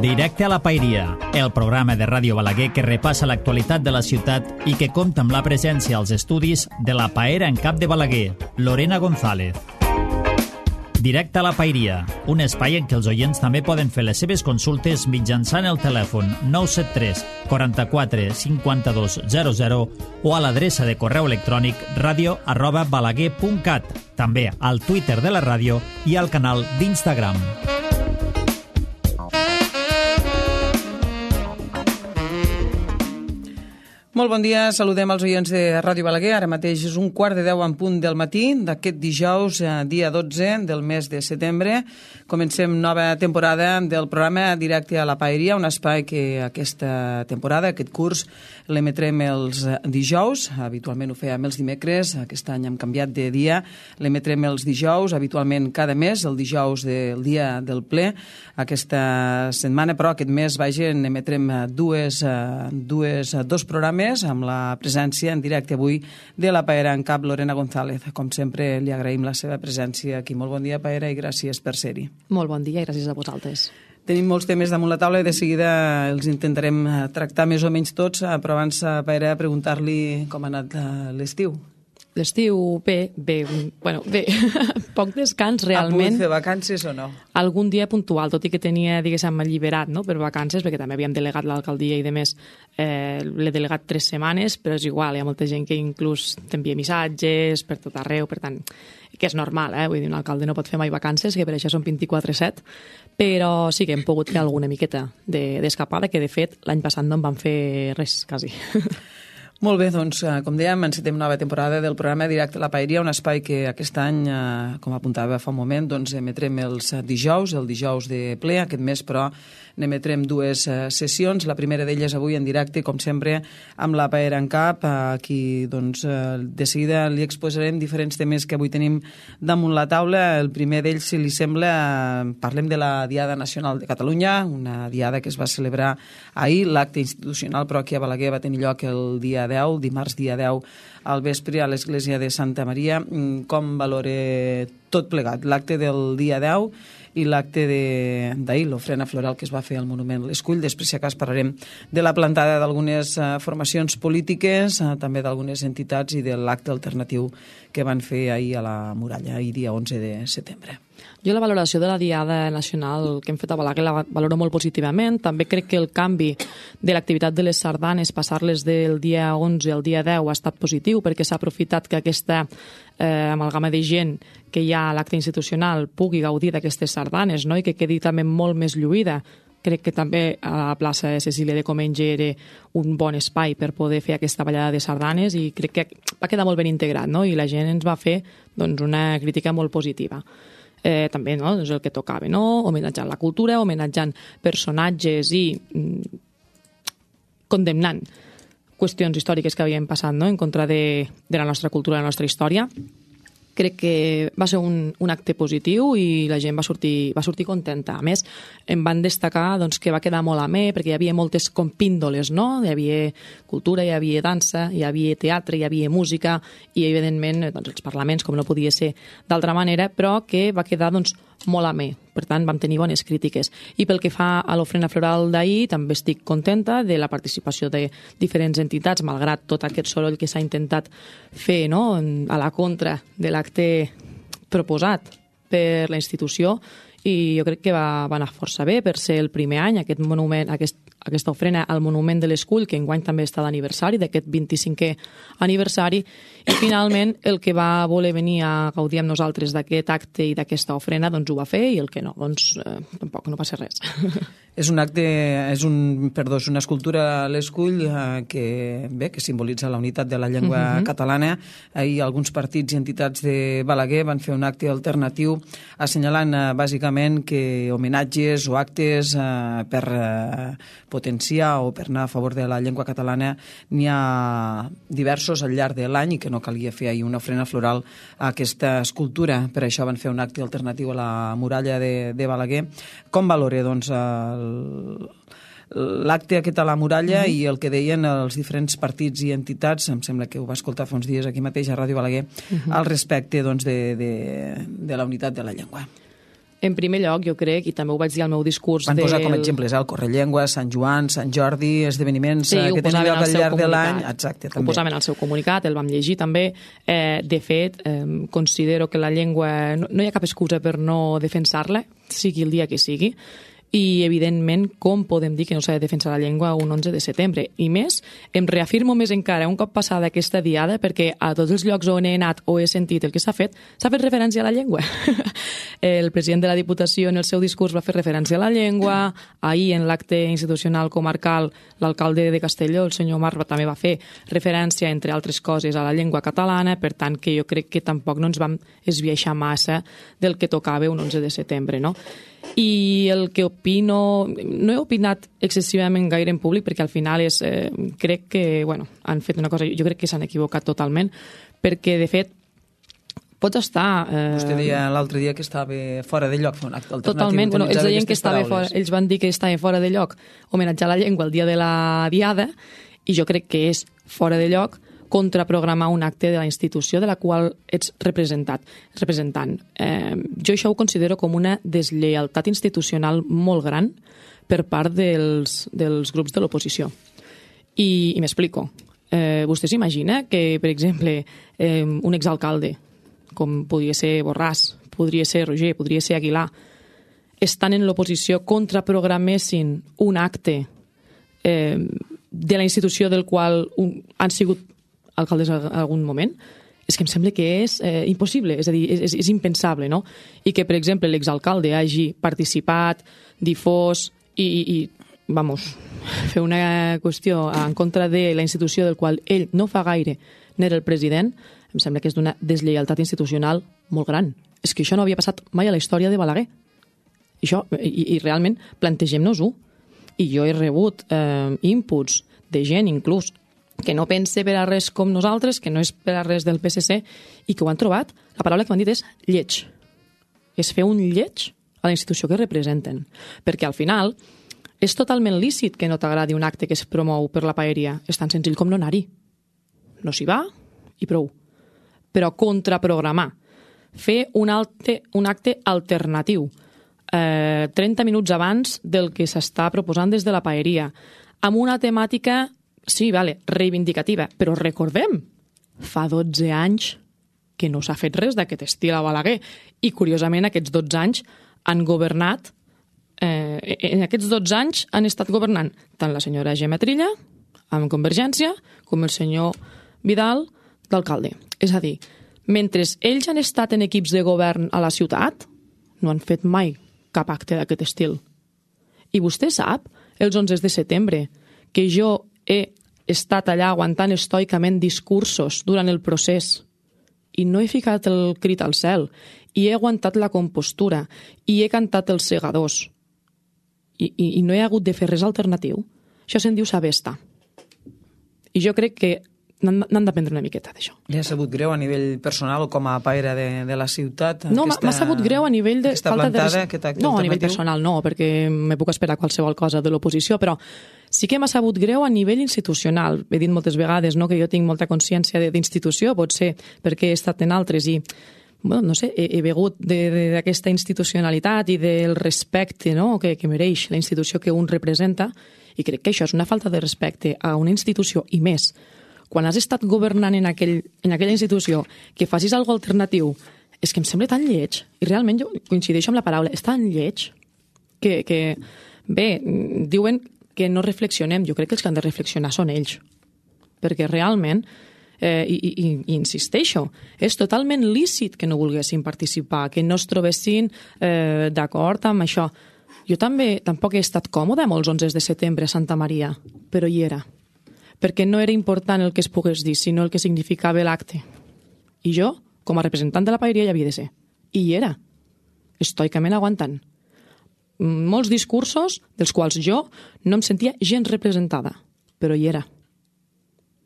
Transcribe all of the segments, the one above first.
Directe a la Pairia, el programa de Ràdio Balaguer que repassa l'actualitat de la ciutat i que compta amb la presència als estudis de la paera en cap de Balaguer, Lorena González. Directe a la Pairia, un espai en què els oients també poden fer les seves consultes mitjançant el telèfon 973 44 52 00 o a l'adreça de correu electrònic radio@balaguer.cat, també al Twitter de la ràdio i al canal d'Instagram. Molt bon dia, saludem els oients de Ràdio Balaguer. Ara mateix és 9:45 en punt del matí d'aquest dijous, dia 12 del mes de setembre. Comencem nova temporada del programa Directe a la Paeria, un espai que aquesta temporada, aquest curs, l'emetrem els dijous. Habitualment ho fèiem els dimecres, aquest any hem canviat de dia. L'emetrem els dijous, habitualment cada mes, el dijous del dia del ple. Aquesta setmana, però, aquest mes, emetrem dos programes amb la presència en directe avui de la paera en cap, Lorena González. Com sempre, li agraïm la seva presència aquí. Molt bon dia, paera, i gràcies per ser-hi. Molt bon dia i gràcies a vosaltres. Tenim molts temes damunt la taula i de seguida els intentarem tractar més o menys tots, però abans, paera, preguntar-li com ha anat l'estiu. L'estiu, bé, poc descans realment. Ha pogut fer vacances o no? Algun dia puntual, tot i que tenia, diguéssim, alliberat, no?, per vacances, perquè també havíem delegat l'alcaldia i, de més, l'he delegat 3 setmanes, però és igual, hi ha molta gent que inclús t'envia missatges per tot arreu, per tant, que és normal, vull dir, un alcalde no pot fer mai vacances, que per això són 24/7, però sí que hem pogut fer alguna miqueta d'escapada, que de fet l'any passat no en vam fer res, quasi. Molt bé, doncs, com dèiem, encetem nova temporada del programa Directe a la Paeria, un espai que aquest any, com apuntava fa un moment, doncs emetrem els dijous, el dijous de ple. Aquest mes, però, n'emetrem 2 sessions. La primera d'elles avui en directe, com sempre, amb la paera en cap. Aquí, doncs, de seguida li exposarem diferents temes que avui tenim damunt la taula. El primer d'ells, si li sembla, parlem de la Diada Nacional de Catalunya, una diada que es va celebrar ahir. L'acte institucional, però, aquí a Balaguer va tenir lloc el dia 10, dimarts dia 10 al vespre a l'església de Santa Maria. Com valora tot plegat, l'acte del dia 10 i l'acte d'ahir, l'ofrena floral que es va fer al Monument l'Escull? Després, si acas, parlarem de la plantada d'algunes formacions polítiques, també d'algunes entitats, i de l'acte alternatiu que van fer ahir a la Muralla, ahir dia 11 de setembre. Jo la valoració de la Diada Nacional que hem fet a Balaguer la valoro molt positivament. També crec que el canvi de l'activitat de les sardanes, passar-les del dia 11 al dia 10, ha estat positiu, perquè s'ha aprofitat que aquesta amalgama de gent que hi ha a l'acte institucional pugui gaudir d'aquestes sardanes, no?, i que quedi també molt més lluïda. Crec que també a la plaça de Cecília de Comenge era un bon espai per poder fer aquesta ballada de sardanes, i crec que va quedar molt ben integrat, no?, i la gent ens va fer, doncs, una crítica molt positiva. També, no?, és el que tocava, no?, homenatjant la cultura, homenatjant personatges i condemnant qüestions històriques que havien passat, no?, en contra de la nostra cultura, de la nostra història. Crec que va ser un acte positiu i la gent va sortir contenta. A més, em van destacar, doncs, que va quedar molt amè, perquè hi havia moltes compíndoles, no? Hi havia cultura, hi havia dansa, hi havia teatre, hi havia música i, evidentment, doncs, els parlaments, com no podia ser d'altra manera, però que va quedar, doncs, molt amè. Per tant, vam tenir bones crítiques. I pel que fa a l'ofrena floral d'ahir, també estic contenta de la participació de diferents entitats, malgrat tot aquest soroll que s'ha intentat fer, no?, a la contra de l'acte proposat per la institució, i jo crec que va anar força bé per ser el primer any, aquest monument, aquesta ofrena al Monument de l'Escull, que enguany també està d'aniversari, d'aquest 25è aniversari, i finalment el que va voler venir a gaudir amb nosaltres d'aquest acte i d'aquesta ofrena, doncs ho va fer, i el que no, doncs tampoc no passa res. És una escultura a l'Escull que simbolitza la unitat de la llengua catalana. Ahir alguns partits i entitats de Balaguer van fer un acte alternatiu assenyalant bàsicament que homenatges o actes per potenciar o per anar a favor de la llengua catalana n'hi ha diversos al llarg de l'any i que no calia fer ahir una ofrena floral a aquesta escultura. Per això van fer un acte alternatiu a la muralla de Balaguer. Com valora, doncs, l'acte aquest a la muralla i el que deien els diferents partits i entitats, em sembla que ho va escoltar fa uns dies aquí mateix a Ràdio Balaguer, al respecte, doncs, de la unitat de la llengua? En primer lloc, jo crec, i també ho vaig dir al meu discurs... Van posar com exemples el Correllengua, Sant Joan, Sant Jordi, esdeveniments que tenen lloc al llarg de l'any. Exacte, també. Ho posaven al seu comunicat, el vam llegir també. De fet, considero que la llengua... No hi ha cap excusa per no defensar-la, sigui el dia que sigui. I, evidentment, com podem dir que no s'ha de defensar la llengua un 11 de setembre? I més, em reafirmo més encara un cop passada aquesta diada, perquè a tots els llocs on he anat o he sentit el que s'ha fet referència a la llengua. El president de la Diputació en el seu discurs va fer referència a la llengua, ahir en l'acte institucional comarcal l'alcalde de Castelló, el senyor Marc, també va fer referència, entre altres coses, a la llengua catalana, per tant que jo crec que tampoc no ens vam esbiaixar massa del que tocava un 11 de setembre, no? I el que opino... No he opinat excessivament gaire en públic perquè al final crec que han fet una cosa... Jo crec que s'han equivocat totalment perquè, de fet, pots estar... Vostè deia l'altre dia que estava fora de lloc fer un acte alternatiu. Totalment. Ells deien que estava fora, ells van dir que estava fora de lloc homenatjar la llengua el dia de la Diada i jo crec que és fora de lloc contraprogramar un acte de la institució de la qual ets representant. Jo això ho considero com una deslleialtat institucional molt gran per part dels grups de l'oposició. I m'explico. Vostè s'imagina que, per exemple, un exalcalde, com podria ser Borràs, podria ser Roger, podria ser Aguilar, estan en l'oposició contraprogramessin un acte de la institució del qual han sigut alcaldes en algun moment, és que em sembla que és impossible, és a dir, és impensable, no? I que, per exemple, l'exalcalde hagi participat, difós i fer una qüestió en contra de la institució del qual ell no fa gaire n'era el president, em sembla que és d'una deslleialtat institucional molt gran. És que això no havia passat mai a la història de Balaguer. I realment plantegem-nos-ho. I jo he rebut inputs de gent, inclús, que no pense per a res com nosaltres, que no és per a res del PSC, i que ho han trobat, la paraula que m'han dit és lleig. És fer un lleig a la institució que representen. Perquè al final és totalment lícit que no t'agradi un acte que es promou per la paeria. És tan senzill com no anar-hi. No s'hi va i prou. Però contraprogramar, fer un acte alternatiu, 30 minuts abans del que s'està proposant des de la paeria, amb una temàtica... Sí, reivindicativa, però recordem, fa 12 anys que no s'ha fet res d'aquest estil a Balaguer i, curiosament, aquests 12 anys han governat, en aquests 12 anys han estat governant tant la senyora Gemma Trilla, amb Convergència, com el senyor Vidal, d'alcalde. És a dir, mentre ells han estat en equips de govern a la ciutat, no han fet mai cap acte d'aquest estil. I vostè sap, els 11 de setembre, que jo he estat allà aguantant estoicament discursos durant el procés i no he ficat el crit al cel i he aguantat la compostura i he cantat els segadors i no he hagut de fer res alternatiu. Això se'n diu saber estar. I jo crec que n'han d'aprendre una miqueta d'això. Li ha sabut greu a nivell personal o com a paire de la ciutat? No, m'ha sabut greu a nivell de... No, a nivell personal no, perquè me puc esperar qualsevol cosa de l'oposició, però sí que m'ha sabut greu a nivell institucional. He dit moltes vegades que jo tinc molta consciència d'institució, potser perquè he estat en altres i no sé, he begut d'aquesta institucionalitat i del respecte que mereix la institució que un representa i crec que això és una falta de respecte a una institució i més. Quan has estat governant en aquella institució, que facis alguna alternatiu, és que em sembla tan lleig, i realment jo coincideixo amb la paraula, és tan lleig, que bé, diuen que no reflexionem, jo crec que els que han de reflexionar són ells, perquè realment, i insisteixo, és totalment lícit que no volguessin participar, que no es trobessin d'acord amb això. Jo tampoc he estat còmode amb els 11 de setembre a Santa Maria, però hi era. Perquè no era important el que es pogués dir, sinó el que significava l'acte. I jo, com a representant de la paeria, hi havia de ser. I hi era, estoicament aguantant. Molts discursos dels quals jo no em sentia gens representada, però hi era.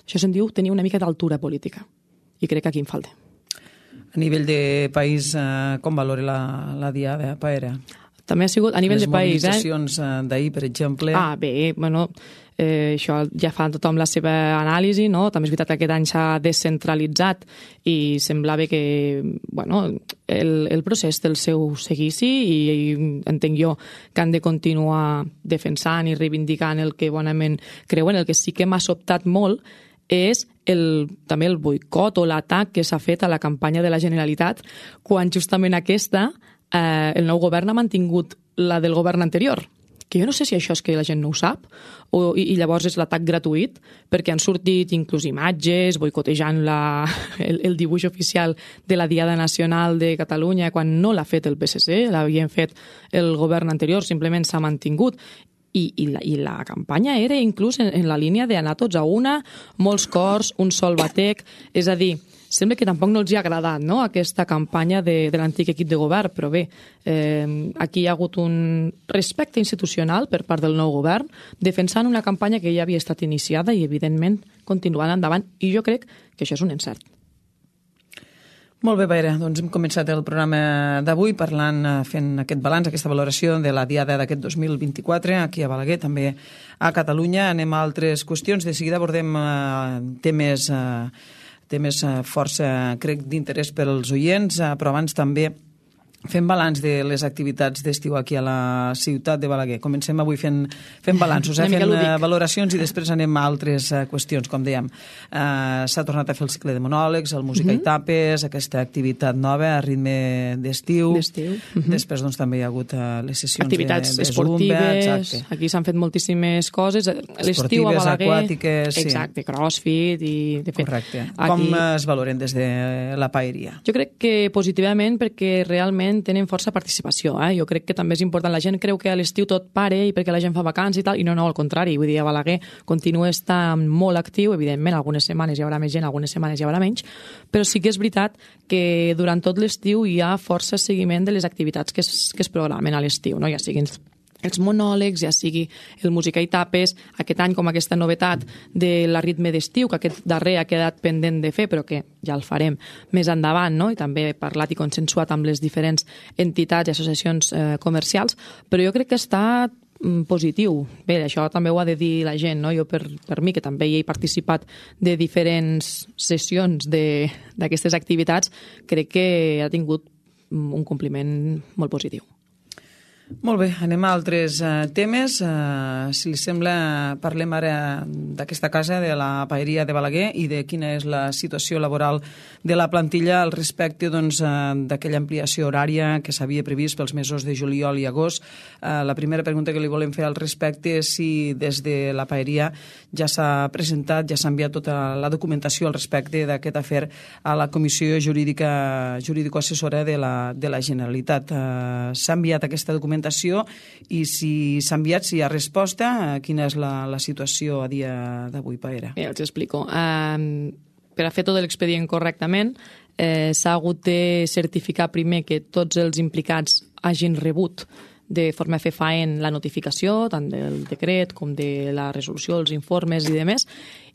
Això se'n diu tenir una mica d'altura política. I crec que aquí em falta. A nivell de país, com valora la diada paera? també ha sigut a nivell de país. Les mobilitzacions d'ahir, per exemple... Bé, bueno, això ja fa tothom la seva anàlisi, no? També és veritat que aquest any s'ha descentralitzat i semblava que, bueno, el procés té el seu seguici i entenc jo que han de continuar defensant i reivindicant el que bonament creuen. El que sí que m'ha sobtat molt és també el boicot o l'atac que s'ha fet a la campanya de la Generalitat quan justament aquesta, el nou govern ha mantingut la del govern anterior, que jo no sé si això és que la gent no ho sap i llavors és l'atac gratuït, perquè han sortit inclús imatges boicotejant el dibuix oficial de la Diada Nacional de Catalunya quan no l'ha fet el PSC, l'havien fet el govern anterior, simplement s'ha mantingut. I la campanya era inclús en la línia d'anar tots a una, molts cors, un sol batec, és a dir, sembla que tampoc no els ha agradat, no?, aquesta campanya de l'antic equip de govern, però bé, aquí hi ha hagut un respecte institucional per part del nou govern, defensant una campanya que ja havia estat iniciada i, evidentment, continuant endavant, i jo crec que això és un encert. Molt bé, Paera, doncs hem començat el programa d'avui parlant, fent aquest balanç, aquesta valoració de la Diada d'aquest 2024, aquí a Balaguer, també a Catalunya. Anem a altres qüestions, de seguida abordem temes força, crec, d'interès per als oients, però abans també fem balanç de les activitats d'estiu aquí a la ciutat de Balaguer. Comencem avui fent balanços, fent valoracions i després anem a altres qüestions, com dèiem. S'ha tornat a fer el cicle de monòlegs, el Música i Tapes, aquesta activitat nova a ritme d'estiu. Després doncs, també hi ha hagut les sessions activitats de esportives, aquí s'han fet moltíssimes coses. L'estiu a Balaguer... aquàtiques... Exacte, crossfit i... Correcte. Com es valoren des de la paeria? Jo crec que positivament perquè realment tenen força participació. Jo crec que també és important. La gent creu que a l'estiu tot pare i perquè la gent fa vacances i tal, i no, al contrari. Vull dir, a Balaguer continua estant molt actiu, evidentment, algunes setmanes hi haurà més gent, algunes setmanes hi haurà menys, però sí que és veritat que durant tot l'estiu hi ha força seguiment de les activitats que es programen a l'estiu, no? Ja siguin els monòlegs, ja sigui el Música i Tapes, aquest any com aquesta novetat de la ritme d'estiu, que aquest darrer ha quedat pendent de fer, però que ja el farem més endavant, no? I també he parlat i consensuat amb les diferents entitats i associacions comercials, però jo crec que està positiu. Bé, això també ho ha de dir la gent, no? Jo per mi, que també hi he participat de diferents sessions d'aquestes activitats, crec que ha tingut un compliment molt positiu. Molt bé, anem a altres temes. Si li sembla, parlem ara d'aquesta casa, de la paeria de Balaguer i de quina és la situació laboral de la plantilla al respecte d'aquella ampliació horària que s'havia previst pels mesos de juliol i agost. La primera pregunta que li volem fer al respecte és si des de la paeria ja s'ha presentat, ja s'ha enviat tota la documentació al respecte d'aquest afer a la Comissió Jurídico-Assessora de la Generalitat. S'ha enviat aquesta documentació i si s'ha enviat, si hi ha resposta, quina és la situació a dia d'avui, Paera? Bé, els explico. Per a fer tot l'expedient correctament, s'ha hagut de certificar primer que tots els implicats hagin rebut de forma fefaent la notificació, tant del decret com de la resolució, els informes i demés,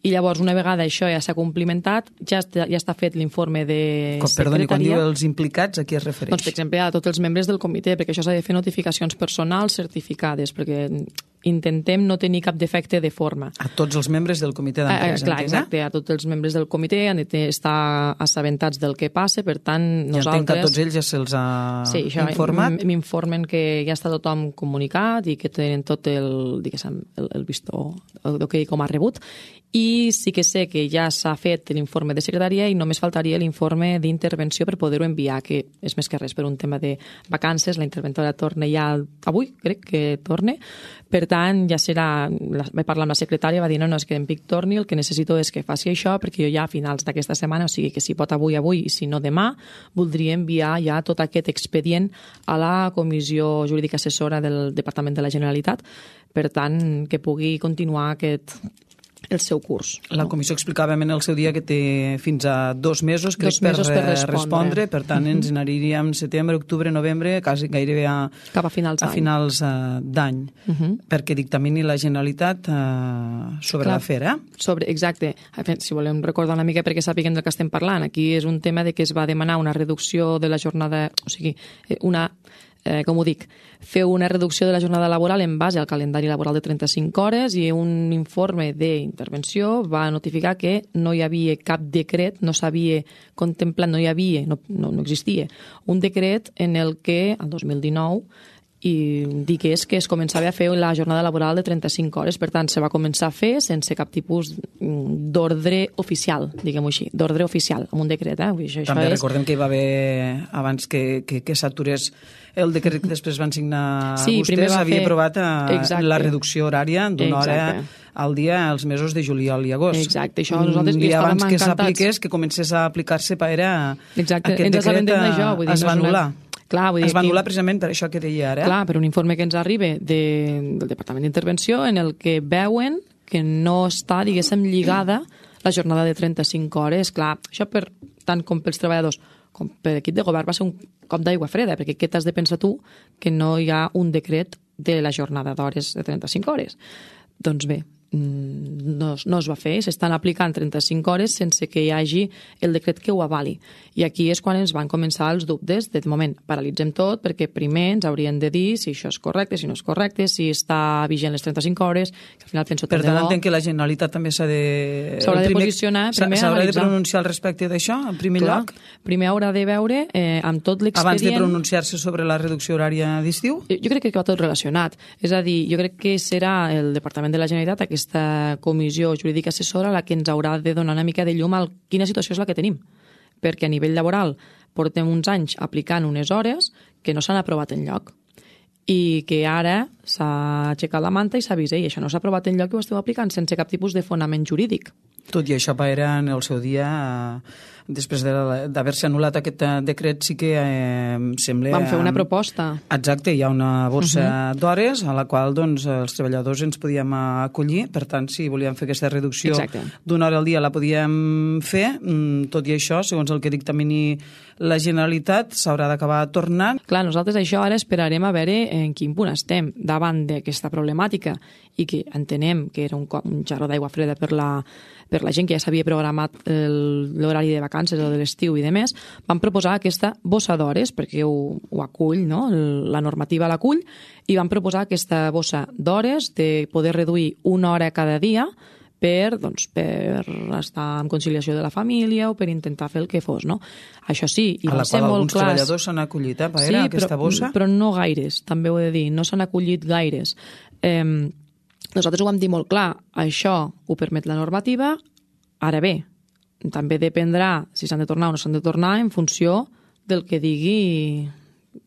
i llavors, una vegada això ja s'ha complimentat, ja està fet l'informe de secretaria. Perdoni, quan diu els implicats, a qui es refereix? Doncs, per exemple, a tots els membres del comitè, perquè això s'ha de fer notificacions personals certificades, perquè intentem no tenir cap defecte de forma. A tots els membres del comitè d'empresa. Clar, exacte, a tots els membres del comitè han d'estar assabentats del que passa, per tant, nosaltres... Ja entenc que a tots ells ja se'ls ha informat? Sí, m'informen que ja està tothom comunicat i que tenen tot el vistó, el que com ha rebut, i sí que sé que ja s'ha fet l'informe de secretaria i només faltaria l'informe d'intervenció per poder-ho enviar, que és més que res per un tema de vacances. La interventora torna ja avui, crec que torna. Per tant, ja serà... Vaig parlar amb la secretària, va dir, no, és que en Pic torni, el que necessito és que faci això, perquè jo ja a finals d'aquesta setmana, o sigui que si pot avui, i si no demà, voldria enviar ja tot aquest expedient a la Comissió Jurídica Assessora del Departament de la Generalitat, per tant, que pugui continuar el seu curs. La comissió explicava en el seu dia que té fins a 2 mesos, crec, per respondre. Per tant, ens n'aniríem setembre, octubre, novembre, quasi gairebé cap a finals d'any, perquè dictamini la Generalitat sobre l'afer, Exacte. Si volem recordar una mica perquè sàpiguen del que estem parlant, aquí és un tema de que es va demanar una reducció de la jornada, o sigui, una com ho dic, fer una reducció de la jornada laboral en base al calendari laboral de 35 hores i un informe d'intervenció va notificar que no hi havia cap decret, no s'havia contemplat, no existia un decret en el que, el 2019, i digués que es començava a fer la jornada laboral de 35 hores. Per tant, se va començar a fer sense cap tipus d'ordre oficial, diguem-ho així, d'ordre oficial, amb un decret. També recordem que hi va haver, abans que s'aturés el decret que després van signar vostès, havia aprovat la reducció horària d'una hora al dia els mesos de juliol i agost. Exacte, això nosaltres un dia abans que s'apliqués, que comencés a aplicar-se aquest decret es va anul·lar. Es va anul·lar precisament per això que deia ara. Clar, per un informe que ens arriba del Departament d'Intervenció en el que veuen que no està, diguéssim, lligada la jornada de 35 hores. Clar, això tant com pels treballadors com per l'equip de govern va ser un cop d'aigua freda, perquè què t'has de pensar tu que no hi ha un decret de la jornada d'hores de 35 hores? Doncs bé, no es va fer, s'estan aplicant 35 hores sense que hi hagi el decret que ho avali. I aquí és quan ens van començar els dubtes. De moment, paralitzem tot, perquè primer ens haurien de dir si això és correcte, si no és correcte, si està vigent les 35 hores, que al final penso tant de bo. Per tant, entenc que la Generalitat també s'haurà de posicionar, primer s'haurà de pronunciar al respecte d'això, en primer lloc? Primer haurà de veure amb tot l'expedient... Abans de pronunciar-se sobre la reducció horària d'estiu? Jo crec que va tot relacionat. És a dir, jo crec que serà el Departament de la Generalitat, aquesta comissió jurídica assessora, la que ens haurà de donar una mica de llum a quina situació és la que tenim. Perquè a nivell laboral portem uns anys aplicant unes hores que no s'han aprovat enlloc i que ara s'ha aixecat la manta i s'ha vist, i això no s'ha aprovat enlloc i ho esteu aplicant sense cap tipus de fonament jurídic. Tot i això, Paera, en el seu dia, després d'haver-se anul·lat aquest decret, sí que sembla... Vam fer una proposta. Exacte, hi ha una borsa d'hores a la qual els treballadors ens podíem acollir. Per tant, si volíem fer aquesta reducció d'una hora al dia la podíem fer. Tot i això, segons el que dictamini la Generalitat, s'haurà d'acabar tornant. Clar, nosaltres això ara esperarem a veure en quin punt estem davant d'aquesta problemàtica i que entenem que era un jarró d'aigua freda per la gent que ja s'havia programat l'horari de vacances o de l'estiu i demés. Vam proposar aquesta bossa d'hores, perquè ho acull, no? La normativa l'acull, i vam proposar aquesta bossa d'hores de poder reduir una hora cada dia per estar en conciliació de la família o per intentar fer el que fos, no? Això sí, i va ser molt clar. A la qual alguns treballadors s'han acollit, Paera, aquesta bossa? Però no gaires, també ho he de dir, no s'han acollit gaires. Nosaltres ho vam dir molt clar, això ho permet la normativa, ara bé, també dependrà si s'han de tornar o no s'han de tornar en funció del que digui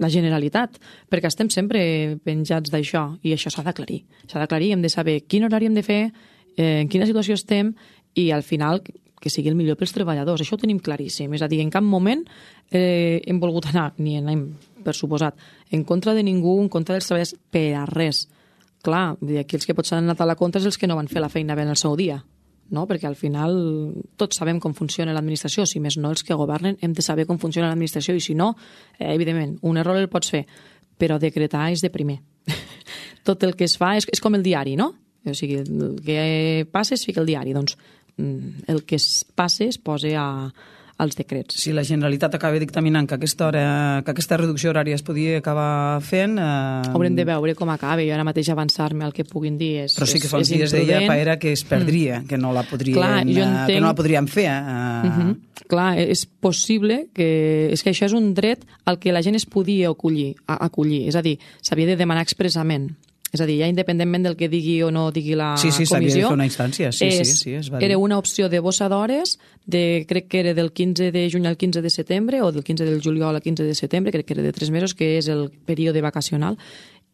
la Generalitat, perquè estem sempre penjats d'això i això s'ha d'aclarir. S'ha d'aclarir, hem de saber quin horari hem de fer, en quina situació estem i al final que sigui el millor pels treballadors. Això ho tenim claríssim. És a dir, en cap moment hem volgut anar, ni anem, per suposat, en contra de ningú, en contra dels treballadors, per a res. Clar, aquí els que potser han anat a la contra és els que no van fer la feina bé en el seu dia, no? Perquè al final tots sabem com funciona l'administració, si més no els que governen hem de saber com funciona l'administració i si no, evidentment, un error el pots fer, però decretar és de primer. Tot el que es fa és com el diari, no? O sigui, el que passa es fica al diari, doncs el que es passa es posa als decrets. Si la Generalitat acaba dictaminant que aquesta reducció horària es podia acabar fent... Haurem de veure com acaba. Jo ara mateix avançar-me el que puguin dir és imprudent. Però sí que fa uns dies deia, Paera, que es perdria, que no la podríem fer. Clar, és possible que... És que això és un dret al que la gent es podia acollir. És a dir, s'havia de demanar expressament. És a dir, ja independentment del que digui o no digui la comissió... Sí, s'havia de fer una instància. Sí, es va dir. Era una opció de bossa d'hores, crec que era del 15 de juny al 15 de setembre, o del 15 del juliol al 15 de setembre, crec que era de 3 mesos, que és el període vacacional,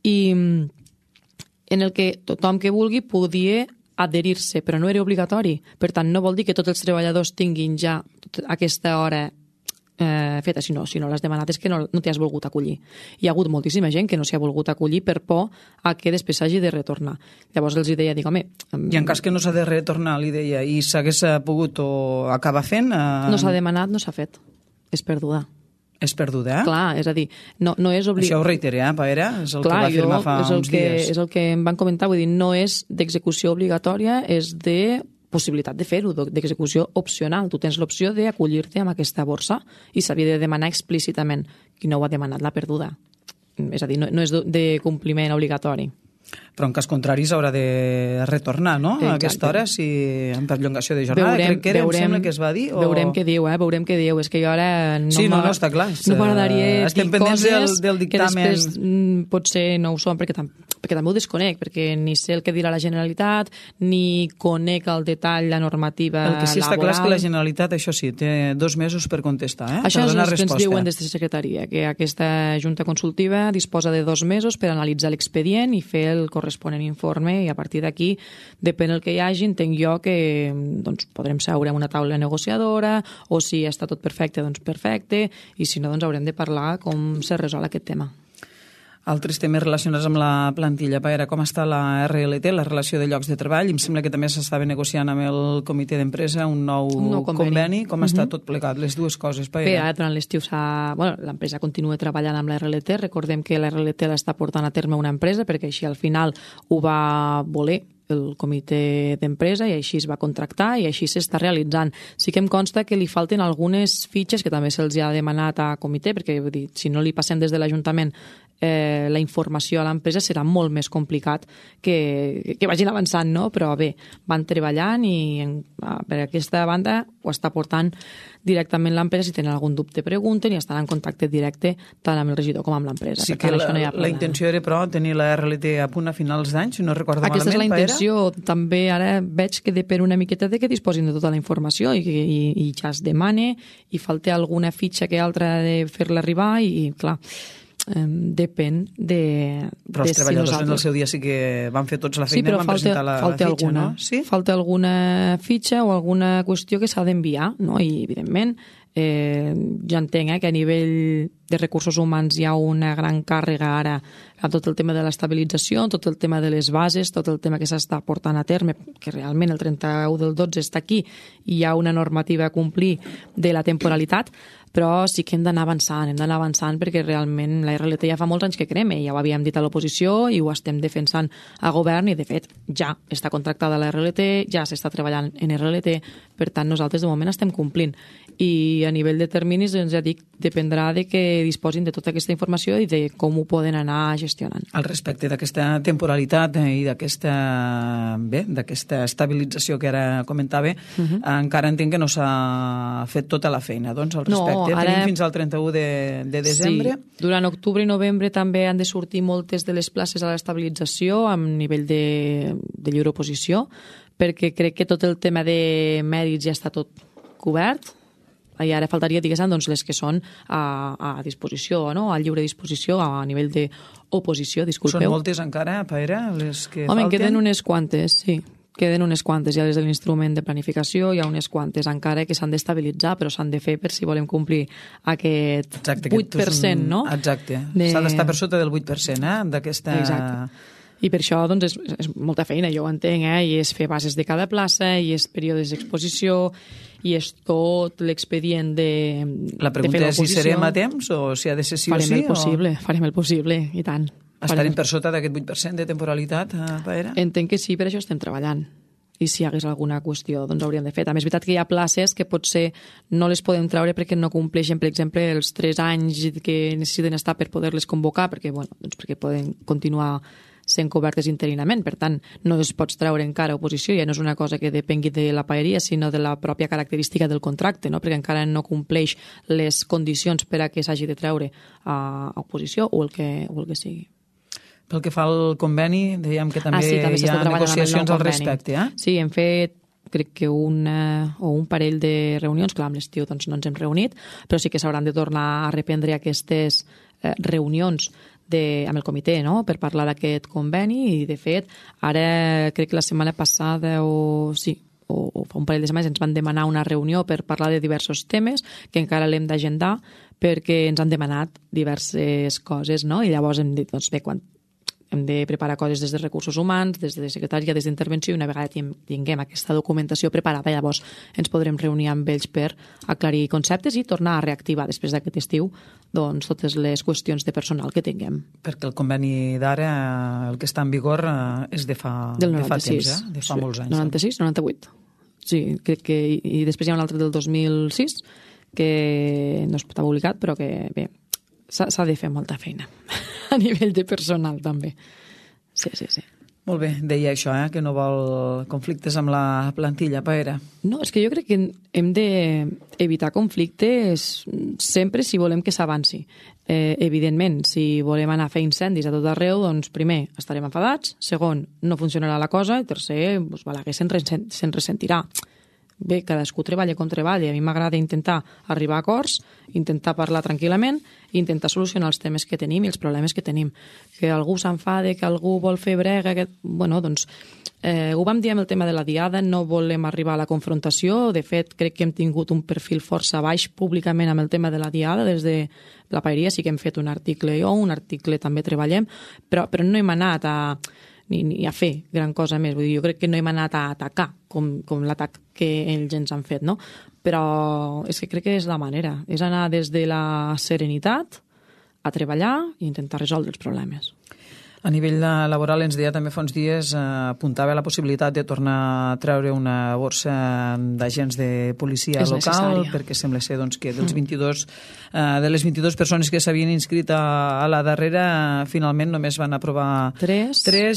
i en el que tothom que vulgui podia adherir-se, però no era obligatori. Per tant, no vol dir que tots els treballadors tinguin ja aquesta hora feta, si no l'has demanat és que no t'hi has volgut acollir. Hi ha hagut moltíssima gent que no s'hi ha volgut acollir per por a que després s'hagi de retornar. Llavors els deia, home... I en cas que no s'ha de retornar, li deia, i s'hagués pogut o acabar fent... No s'ha demanat, no s'ha fet. És perduda. És perduda, Clar, és a dir, no és obligat... Això ho reiteré, Paera, és el que va afirmar fa uns dies. És el que em van comentar, vull dir, no és d'execució obligatòria, és de possibilitat de fer-ho, d'execució opcional. Tu tens l'opció d'acollir-te amb aquesta borsa i s'havia de demanar explícitament. Qui no ho ha demanat l'ha perduda. És a dir, no és de compliment obligatori. Però en cas contrari s'haurà de retornar, no? A aquesta hora, si en perllongació de jornada, crec que era, em sembla que es va dir. Veurem què diu, veurem què diu. És que jo ara no, està clar. No m'agradaria dir coses del dictamen que després potser no ho són, perquè també ho desconec, perquè ni sé el que dirà la Generalitat, ni conec al detall la normativa laboral. El que sí està clar és que la Generalitat, això sí, té 2 mesos per contestar, Això per donar és el que resposta. ens diuen des de la secretaria, que aquesta Junta Consultiva disposa de 2 mesos per analitzar l'expedient i fer el corresponent informe, i a partir d'aquí, depèn del que hi hagi, entenc jo que doncs, podrem seure en una taula negociadora, o si està tot perfecte, doncs perfecte, i si no, doncs haurem de parlar com se resol aquest tema. Altres temes relacionats amb la plantilla. Paera, com està la RLT, la relació de llocs de treball? Em sembla que també s'estava negociant amb el comitè d'empresa un nou conveni. Com està tot plegat, les dues coses, Paera? Bé, ara durant l'estiu l'empresa continua treballant amb la RLT. Recordem que la RLT l'està portant a terme una empresa, perquè així al final ho va voler el comitè d'empresa i així es va contractar i així s'està realitzant. Sí que em consta que li falten algunes fitxes que també se'ls ha demanat a comitè, perquè vull dir, si no li passem des de l'Ajuntament la informació a l'empresa serà molt més complicat que vagin avançant, no? Però bé, van treballant i per aquesta banda ho està portant directament l'empresa. Si tenen algun dubte pregunten i estan en contacte directe tant amb el regidor com amb l'empresa. Sí que la intenció era, però, tenir la RLT a punt a finals d'any, si no recordo malament. Aquesta és la intenció. També ara veig que depèn una miqueta de que disposin de tota la informació i ja es demane i falta alguna fitxa que altra de fer-la arribar i, clar, depèn de... Però els treballadors en el seu dia sí que van fer tots la feina i van presentar la fitxa, no? Sí? Falta alguna fitxa o alguna qüestió que s'ha d'enviar, no? I, evidentment, jo entenc que a nivell de recursos humans hi ha una gran càrrega ara a tot el tema de l'estabilització, tot el tema de les bases, tot el tema que s'està portant a terme, que realment el 31 del 12 està aquí i hi ha una normativa a complir de la temporalitat, però sí que hem d'anar avançant perquè realment la RLT ja fa molts anys que crema, ja ho havíem dit a l'oposició i ho estem defensant a govern i de fet ja està contractada la RLT, ja s'està treballant en RLT, per tant nosaltres de moment estem complint i a nivell de terminis, doncs ja dic, dependrà de que disposin de tota aquesta informació i de com ho poden anar gestionant. Al respecte d'aquesta temporalitat i d'aquesta estabilització que ara comentava, encara entenc que no s'ha fet tota la feina, doncs, al respecte. Tenim fins al 31 de desembre. Sí, durant octubre i novembre també han de sortir moltes de les places a l'estabilització amb nivell de lliure oposició, perquè crec que tot el tema de mèrits ja està tot cobert, i ara faltaria, diguéssim, doncs, les que són a disposició, no? A lliure disposició, a nivell d'oposició, disculpeu. Són moltes encara, Paera, les que falten? Home, queden unes quantes, sí. Queden unes quantes, ja des de l'instrument de planificació hi ha unes quantes encara que s'han d'estabilitzar, però s'han de fer per si volem complir aquest 8%, no? Exacte, s'ha d'estar per sota del 8%, d'aquesta... Exacte. I per això doncs, és molta feina, jo ho entenc, i és fer bases de cada plaça, i és períodes d'exposició, i és tot l'expedient de fer l'oposició. La pregunta és si serem a temps o si ha de ser sí o sí? Farem el possible, i tant. Estarem per sota d'aquest 8% de temporalitat, Paera? Entenc que sí, per això estem treballant. I si hi hagués alguna qüestió, doncs hauríem de fer. També és veritat que hi ha places que potser no les podem treure perquè no compleixen, per exemple, els 3 anys que necessiten estar per poder-les convocar, perquè poden continuar sent cobertes interinament. Per tant, no es pots treure encara oposició, ja no és una cosa que depengui de la paeria, sinó de la pròpia característica del contracte, no? Perquè encara no compleix les condicions per a que s'hagi de treure a oposició o el que sigui. Pel que fa al conveni, dèiem que també hi ha negociacions al respecte. Sí, hem fet crec que un parell de reunions, clar, amb l'estiu doncs no ens hem reunit, però sí que s'hauran de tornar a reprendre aquestes reunions amb el comitè, no?, per parlar d'aquest conveni, i de fet ara crec que la setmana passada o fa un parell de setmanes ens van demanar una reunió per parlar de diversos temes que encara l'hem d'agendar perquè ens han demanat diverses coses, no? I llavors hem dit, doncs bé, quan hem de preparar coses des de recursos humans, des de secretària, des d'intervenció, i una vegada tinguem aquesta documentació preparada, llavors ens podrem reunir amb ells per aclarir conceptes i tornar a reactivar després d'aquest estiu doncs, totes les qüestions de personal que tinguem. Perquè el conveni d'ara, el que està en vigor, és de fa temps, de fa molts anys. 96, 98. Sí, crec que... I després hi ha un altre del 2006 que no està publicat, però que, bé, s'ha de fer molta feina. a nivell de personal, també. Sí. Molt bé, deia això, que no vol conflictes amb la plantilla, Paera. No, és que jo crec que hem d'evitar conflictes sempre si volem que s'avanci. Evidentment, si volem anar a fer incendis a tot arreu, doncs primer estarem enfadats, segon, no funcionarà la cosa, i tercer, doncs, Balaguer se'n ressentirà. Bé, cadascú treballa com treballa. A mi m'agrada intentar arribar a acords, intentar parlar tranquil·lament i intentar solucionar els temes que tenim i els problemes que tenim. Que algú s'enfade, que algú vol fer brega... Bueno, doncs, ho vam dir amb el tema de la diada, no volem arribar a la confrontació. De fet, crec que hem tingut un perfil força baix públicament amb el tema de la diada. Des de la Paeria sí que hem fet un article un article també treballem, però no hem anat ni a fer gran cosa més. Vull dir, jo crec que no hem anat a atacar com l'atac que ells ens han fet, no? Però és que crec que és la manera. És anar des de la serenitat a treballar i intentar resoldre els problemes. A nivell laboral ens deia també fa uns dies, apuntava la possibilitat de tornar a treure una borsa d'agents de policia local, necessària. perquè sembla ser doncs, que de les 22 persones que s'havien inscrit a la darrera, finalment només van aprovar 3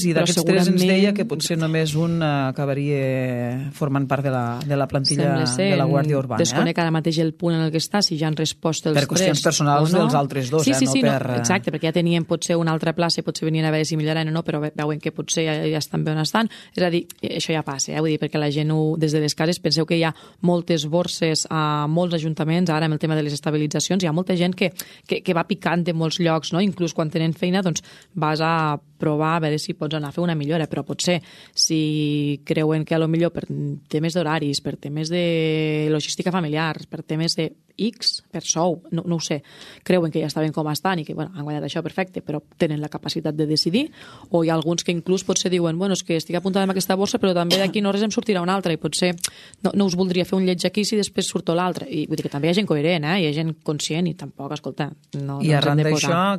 i d'aquests 3 ens deia que potser només un acabaria formant part de la plantilla de la Guàrdia Urbana. Desconec ara mateix el punt en el que està, si ja han respost els 3 per qüestions personals dels altres dos, no per... Exacte, perquè ja tenien potser una altra plaça i potser venien a veure si milloraran o no, però veuen que potser ja estan bé on estan. És a dir, això ja passa, vull dir, perquè la gent des de les cases, penseu que hi ha moltes borses a molts ajuntaments, ara amb el tema de les estabilitzacions, hi ha molta gent que va picant de molts llocs, no? Inclús quan tenen feina, doncs vas a provar a veure si pots anar a fer una millora, però potser si creuen que potser per temes d'horaris, per temes de logística familiar, per temes de X, per sou, no ho sé, creuen que ja estaven com estan i que han guanyat això perfecte, però tenen la capacitat de decidir, o hi ha alguns que inclús potser diuen, és que estic apuntada amb aquesta borsa, però també d'aquí no res em sortirà una altra, i potser no us voldria fer un lleig aquí si després surto l'altra. I vull dir que també hi ha gent coherent, hi ha gent conscient, i tampoc, escolta, no I arran d'això,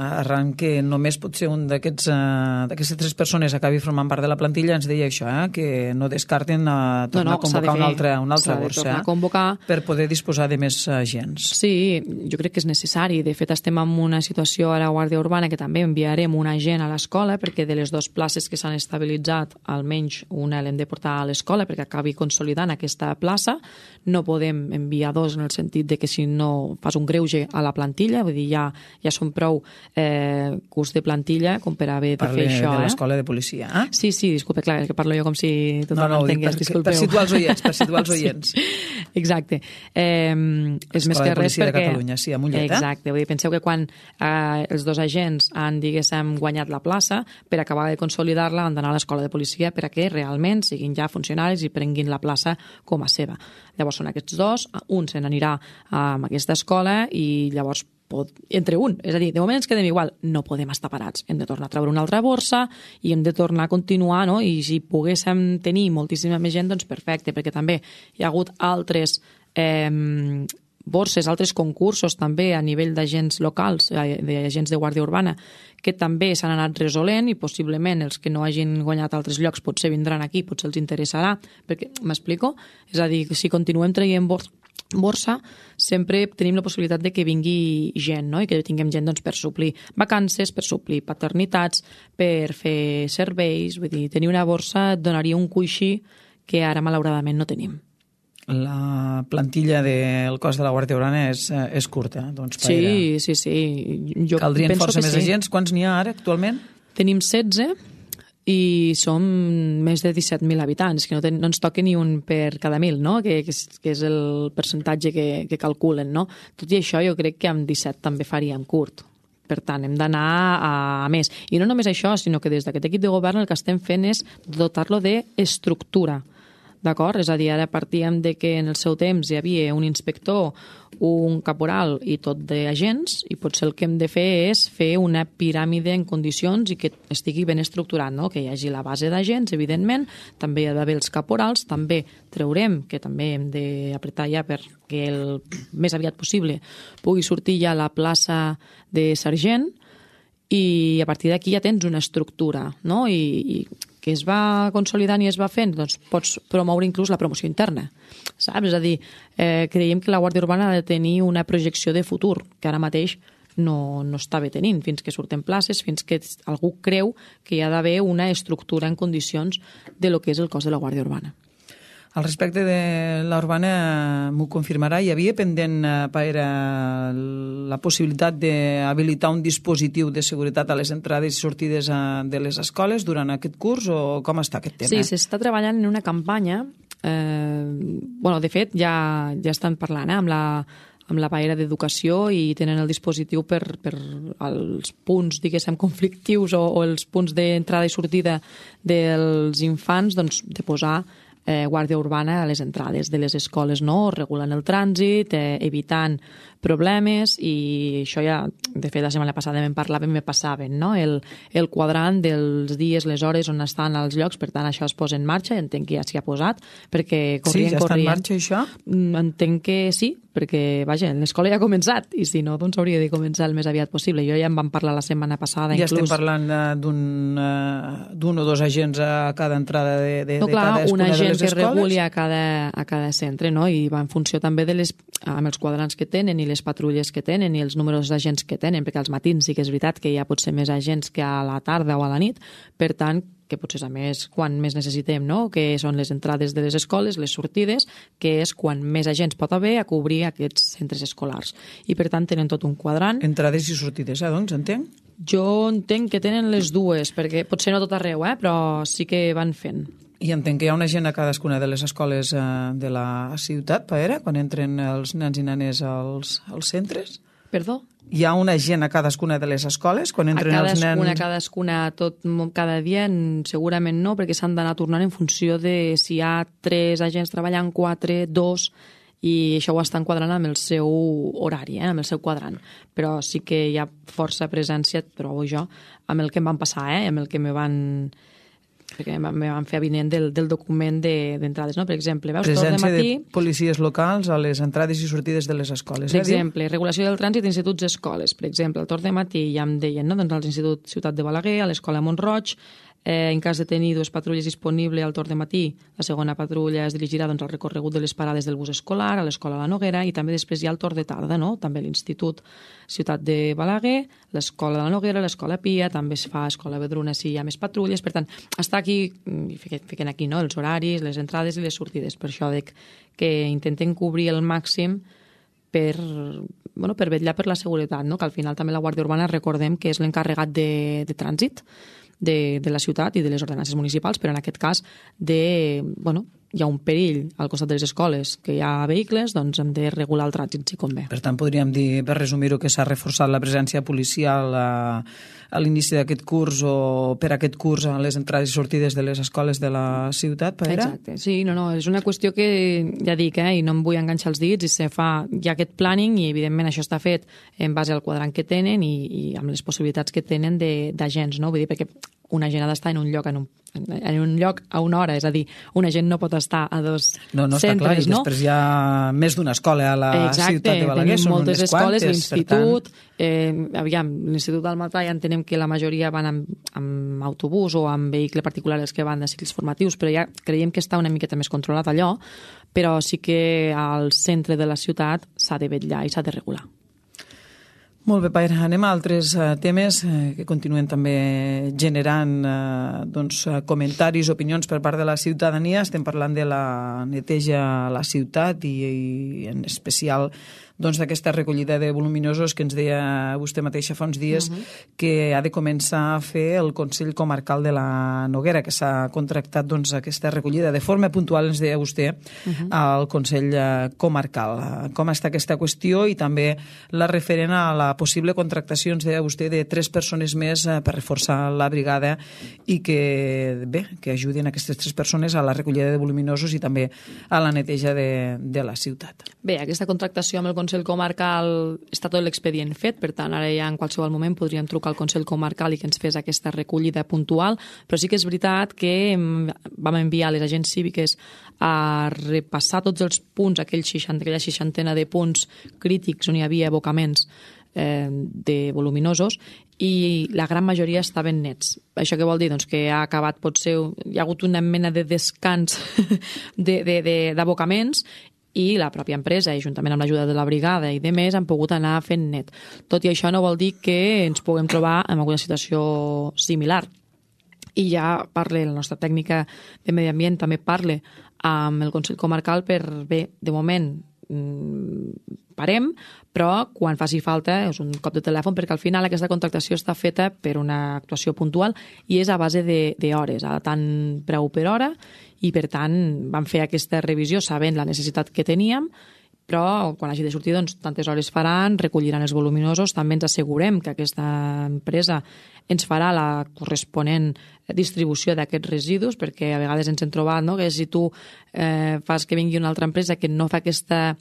arran que només pot ser un d'aquestes 3 persones acabi formant part de la plantilla, ens deia això, que no descarten tornar a convocar una altra borsa per poder disposar de més agents. Sí, jo crec que és necessari. De fet, estem en una situació a la Guàrdia Urbana que també enviarem un agent a l'escola, perquè de les 2 places que s'han estabilitzat, almenys una l'hem de portar a l'escola perquè acabi consolidant aquesta plaça. No podem enviar 2 en el sentit de que si no fas un greuge a la plantilla, vull dir, ja són prou curs de plantilla com per haver de fer això. Parle de l'escola de policia. Sí, disculpe, clar, que parlo jo com si tothom entengués, disculpeu. Per situar els oients, Exacte. És més que res perquè... de Catalunya, sí, a Mollet. Exacte, vull dir, penseu que quan els 2 agents han, diguéssim, guanyat la plaça, per acabar de consolidar-la han d'anar a l'escola de policia per a que realment siguin ja funcionaris i prenguin la plaça com a seva. Llavors són aquests 2, un se n'anirà a aquesta escola i llavors entre un. És a dir, de moment ens quedem igual. No podem estar parats. Hem de tornar a treure una altra borsa i hem de tornar a continuar, no? I si poguéssim tenir moltíssima més gent, doncs perfecte, perquè també hi ha hagut altres borses, altres concursos també a nivell d'agents locals, d'agents de Guàrdia Urbana, que també s'han anat resolent i possiblement els que no hagin guanyat altres llocs potser vindran aquí, potser els interessarà, perquè, m'explico? És a dir, si continuem traient borsa, sempre tenim la possibilitat de que vingui gent, no? I que tinguem gent doncs, per suplir vacances, per suplir paternitats, per fer serveis. Vull dir, tenir una borsa et donaria un coixí que ara malauradament no tenim. La plantilla del cos de la Guàrdia Urbana és curta, doncs, Sí. Caldrien força més agents. Quants n'hi ha ara, actualment? Tenim 16 i som més de 17.000 habitants, que no ens toca ni un per cada 1.000, no? que és el percentatge que calculen. No? Tot i això, jo crec que amb 17 també faríem curt. Per tant, hem d'anar a més. I no només això, sinó que des d'aquest equip de govern el que estem fent és dotar-lo d'estructura. D'acord? És a dir, ara partíem de que en el seu temps hi havia un inspector, un caporal i tot d'agents, i potser el que hem de fer és fer una piràmide en condicions i que estigui ben estructurat, no? Que hi hagi la base d'agents, evidentment, també hi ha d'haver els caporals, també traurem, que també hem d'apretar ja perquè el més aviat possible pugui sortir ja la plaça de sergent, i a partir d'aquí ja tens una estructura, no? I que es va consolidant i es va fent, doncs pots promoure inclús la promoció interna, saps? És a dir, creiem que la Guàrdia Urbana ha de tenir una projecció de futur, que ara mateix no estava tenint, fins que surten places, fins que algú creu que hi ha d'haver una estructura en condicions de lo que és el cos de la Guàrdia Urbana. Al respecte de la urbana, m'ho confirmarà, hi havia pendent la possibilitat d'habilitar un dispositiu de seguretat a les entrades i sortides de les escoles durant aquest curs, o com està aquest tema? Sí, s'està treballant en una campanya. De fet, ja estan parlant amb la paera d'educació i tenen el dispositiu per als punts, diguéssim, conflictius o els punts d'entrada i sortida dels infants, doncs, de posar guàrdia urbana a les entrades de les escoles, no? Regulant el trànsit, evitant problemes, i això ja, de fet, la setmana passada en parlàvem, me passaven, no? El quadrant dels dies, les hores on estan els llocs, per tant, això es posa en marxa, entenc que ja s'hi ha posat, perquè corrien. Sí, ja està en marxa, això? Entenc que sí, perquè, vaja, l'escola ja ha començat, i si no, doncs hauria de començar el més aviat possible. Jo ja en vam parlar la setmana passada, ja inclús. Ja estem parlant d'un o dos agents a cada entrada de cadascuna de les escoles? Un agent que reguli a cada centre, no? I va en funció també amb els quadrants que tenen i les patrulles que tenen i els números d'agents que tenen, perquè als matins sí que és veritat que hi ha potser més agents que a la tarda o a la nit, per tant, que potser és a més quan més necessitem, no? Que són les entrades de les escoles, les sortides, que és quan més agents pot haver a cobrir aquests centres escolars. I per tant tenen tot un quadrant. Entrades i sortides, doncs, entenc? Jo entenc que tenen les dues, perquè potser no tot arreu, però sí que van fent. I entenc que hi ha una gent a cadascuna de les escoles de la ciutat, Paera, quan entren els nens i nenes als centres? Perdó? Hi ha una gent a cadascuna de les escoles quan entren els nens? A cadascuna, cada dia segurament no, perquè s'han d'anar tornant en funció de si hi ha 3 agents treballant, 4, 2, i això ho està enquadrant amb el seu horari, amb el seu quadrant. Però sí que hi ha força presència, trobo jo, amb el que em van passar, amb el que me van fer avinent del document d'entrades, no? Per exemple, veus, presència de policies locals a les entrades i sortides de les escoles. Per exemple, regulació del trànsit d'instituts i escoles. Per exemple, al torn de matí ja em deien, no? Doncs a l'Institut Ciutat de Balaguer, a l'Escola Mont-roig, en cas de tenir 2 patrulles disponibles al torn de matí, la segona patrulla es dirigirà al recorregut de les parades del bus escolar, a l'Escola La Noguera, i també després hi ha el torn de tarda, no? També l'Institut Ciutat de Balaguer, l'Escola de la Noguera, l'Escola Pia, també es fa a Escola Vedruna si hi ha més patrulles. Per tant, està aquí, fiquen aquí, no? Els horaris, les entrades i les sortides. Per això dic que intenten cobrir el màxim per vetllar per la seguretat, no? Que al final també la Guàrdia Urbana, recordem que és l'encarregat de trànsit de la ciutat i de les ordenances municipals, però en aquest cas hi ha un perill al costat de les escoles, que hi ha vehicles, doncs hem de regular el trànsit si convé. Per tant, podríem dir, per resumir-ho, que s'ha reforçat la presència policial a l'inici d'aquest curs o per aquest curs a les entrades i sortides de les escoles de la ciutat, Paera? Exacte, sí, és una qüestió que ja dic, i no em vull enganxar els dits, hi ha aquest planning i evidentment això està fet en base al quadrant que tenen i amb les possibilitats que tenen d'agents, no? Vull dir, perquè un agent ha d'estar en un lloc a una hora, és a dir, un agent no pot estar a 2 centres, no? Està clar, i després hi ha més d'una escola a la ciutat de Balaguer, són moltes escoles, l'institut, l'Institut del Matà ja entenem que la majoria van amb autobús o amb vehicle particular, els que van de cicles formatius, però ja creiem que està una miqueta més controlat allò, però sí que al centre de la ciutat s'ha de vetllar i s'ha de regular. Molt bé, Paera. Anem a altres temes que continuen també generant comentaris, opinions per part de la ciutadania. Estem parlant de la neteja a la ciutat i en especial d'aquesta recollida de voluminosos que ens deia vostè mateixa fa uns dies que ha de començar a fer el Consell Comarcal de la Noguera, que s'ha contractat aquesta recollida de forma puntual, ens deia vostè, al Consell Comarcal. Com està aquesta qüestió i també la referent a la possible contractació, ens deia vostè, de 3 persones més per reforçar la brigada i que ajudin aquestes 3 persones a la recollida de voluminosos i també a la neteja de la ciutat. Bé, aquesta contractació amb el Consell Comarcal està tot l'expedient fet, per tant ara ja en qualsevol moment podríem trucar al Consell Comarcal i que ens fes aquesta recollida puntual, però sí que és veritat que vam enviar les agents cíviques a repassar tots els punts, aquella 60 de punts crítics on hi havia abocaments de voluminosos i la gran majoria estaven nets. Això què vol dir? Doncs que ha acabat, potser hi ha hagut una mena de descans d'abocaments i la pròpia empresa, i juntament amb l'ajuda de la brigada i de més, han pogut anar fent net. Tot i això no vol dir que ens puguem trobar en alguna situació similar. I ja parle, la nostra tècnica de medi ambient també parle amb el Consell Comarcal per, bé, de moment parem, però quan faci falta és un cop de telèfon, perquè al final aquesta contractació està feta per una actuació puntual i és a base d'hores, a tant preu per hora, i per tant vam fer aquesta revisió sabent la necessitat que teníem, però quan hagi de sortir doncs, tantes hores faran, recolliran els voluminosos, també ens assegurem que aquesta empresa ens farà la corresponent distribució d'aquests residus, perquè a vegades ens hem trobat que si tu fas que vingui una altra empresa que no fa aquesta